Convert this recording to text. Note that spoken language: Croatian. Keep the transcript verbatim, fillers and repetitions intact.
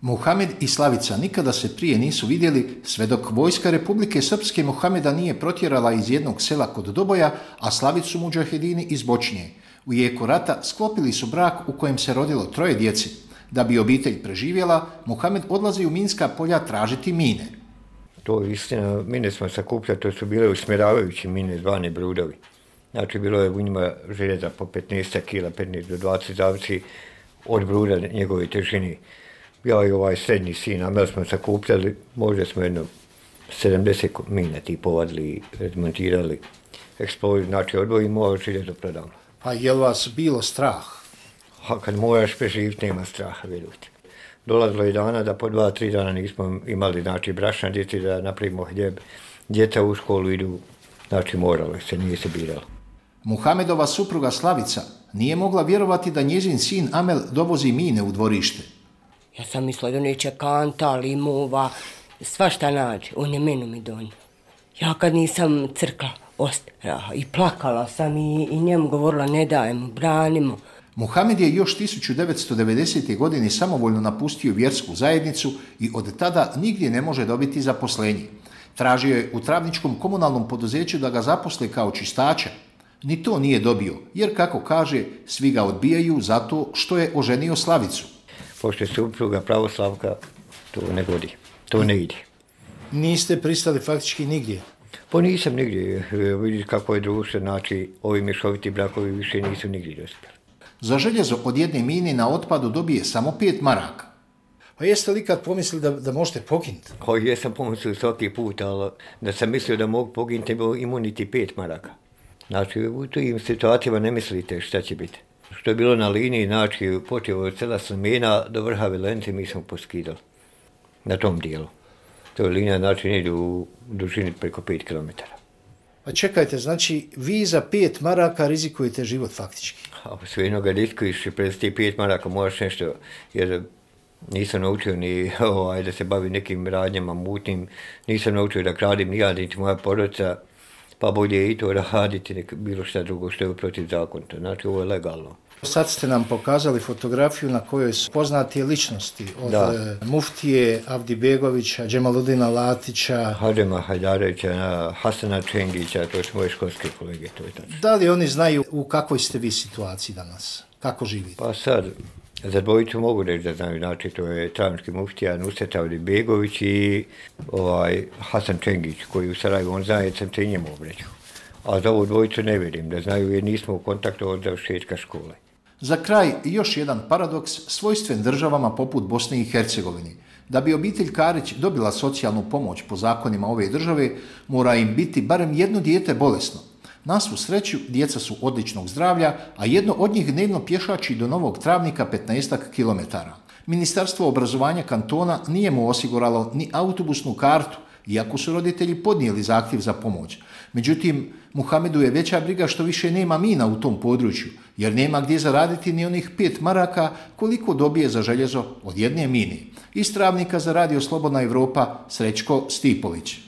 Muhamed i Slavica nikada se prije nisu vidjeli sve dok vojska Republike Srpske Muhameda nije protjerala iz jednog sela kod Doboja, a Slavicu mudžahedini iz Bočnje. U jeku rata sklopili su brak u kojem se rodilo troje djeci. Da bi obitelj preživjela, Muhamed odlazi u minska polja tražiti mine. To je istina, mine smo sakupljali, to su bile usmjeravajuće mine zvane brudovi. Znači bilo je u njima željeza po petnaest kila, petnaest do dvadeset zavisi od bruda njegove težine. Ja i ovaj srednji sin, a mi smo sakupljali, možda smo jedno sedamdeset mina ti povadili, razmontirali, eksploziju, znači odvojimo, a željezo prodamo. Pa je li vas bilo strah? A kad moraš preživiti, nema straha, vidite. Dolazilo je dana da po dva, tri dana nismo imali, znači, brašna djeci da napravimo hljeb. Djeca u školu idu, znači, moralo se, nije se biralo. Muhamedova supruga Slavica nije mogla vjerovati da njezin sin Amel dovozi mine u dvorište. Ja sam mislila da neće kanta, limova, svašta nađe, on je menu mi donio. Ja kad nisam crkla, ostraha i plakala sam i, i njemu govorila ne dajemo, branimo. Muhamed je još tisuću devetsto devedesete. godine samovoljno napustio vjersku zajednicu i od tada nigdje ne može dobiti zaposlenje. Tražio je u travničkom komunalnom poduzeću da ga zaposle kao čistača. Ni to nije dobio, jer kako kaže, svi ga odbijaju zato što je oženio Slavicu. Pošto je supruga pravoslavka, to ne godi, to ne ide. Niste pristali faktički nigdje? Pa nisam nigdje, vidiš kako je društvo, znači ovi mješoviti brakovi više nisu nigdje dospjeli. Za željezo od jedne mine na otpadu dobije samo pet maraka. Pa jeste li kad pomislili da, da možete poginuti? Pa jesam pomislio svaki put, ali da sam mislio da mogu poginuti, imao niti pet maraka. Znači u tim situacijama ne mislite šta će biti. Što je bilo na liniji, znači počeo od sela Slimena do vrha Velence mi smo poskidali na tom dijelu. To je linija, znači ne ide u dužini preko pet kilometara. Pa čekajte, znači vi za pet maraka rizikujete život faktički? A sve jedno ga riskuješ, prez ti pet maraka moraš nešto, jer nisam naučio ni ovaj, da se bavi nekim radnjama mutnim, nisam naučio da kradim ni ja, niti moja porodica, pa bolje i to raditi nek bilo šta drugo što je protiv zakona. Znači ovo je legalno. Sad ste nam pokazali fotografiju na kojoj su poznatije ličnosti od da. Muftije Avdibegovića, Džemaludina Latića, Hadžema Hajdarevića, Hasana Čengića, to su moje školske kolege, to je tačno. Da li oni znaju u kakvoj ste vi situaciji danas? Kako živite? Pa sad, za dvojicu mogu reći da znaju, znači to je travnički muftija Nusret Avdibegović i ovaj, Hasan Čengić, koji u Sarajevu, on zna, jer sam te njemu obreću. A za ovu dvojicu ne vidim da znaju jer nismo u kontaktu od završetka škole. Za kraj još jedan paradoks svojstven državama poput Bosne i Hercegovine. Da bi obitelj Karić dobila socijalnu pomoć po zakonima ove države, mora im biti barem jedno dijete bolesno. Na svu sreću, djeca su odličnog zdravlja, a jedno od njih dnevno pješači do Novog Travnika petnaest kilometara. Ministarstvo obrazovanja kantona nije mu osiguralo ni autobusnu kartu, iako su roditelji podnijeli zahtjev za pomoć. Međutim, Muhamedu je veća briga što više nema mina u tom području, jer nema gdje zaraditi ni onih pet maraka koliko dobije za željezo od jedne mine. Iz Travnika za Radio Slobodna Evropa, Srećko Stipović.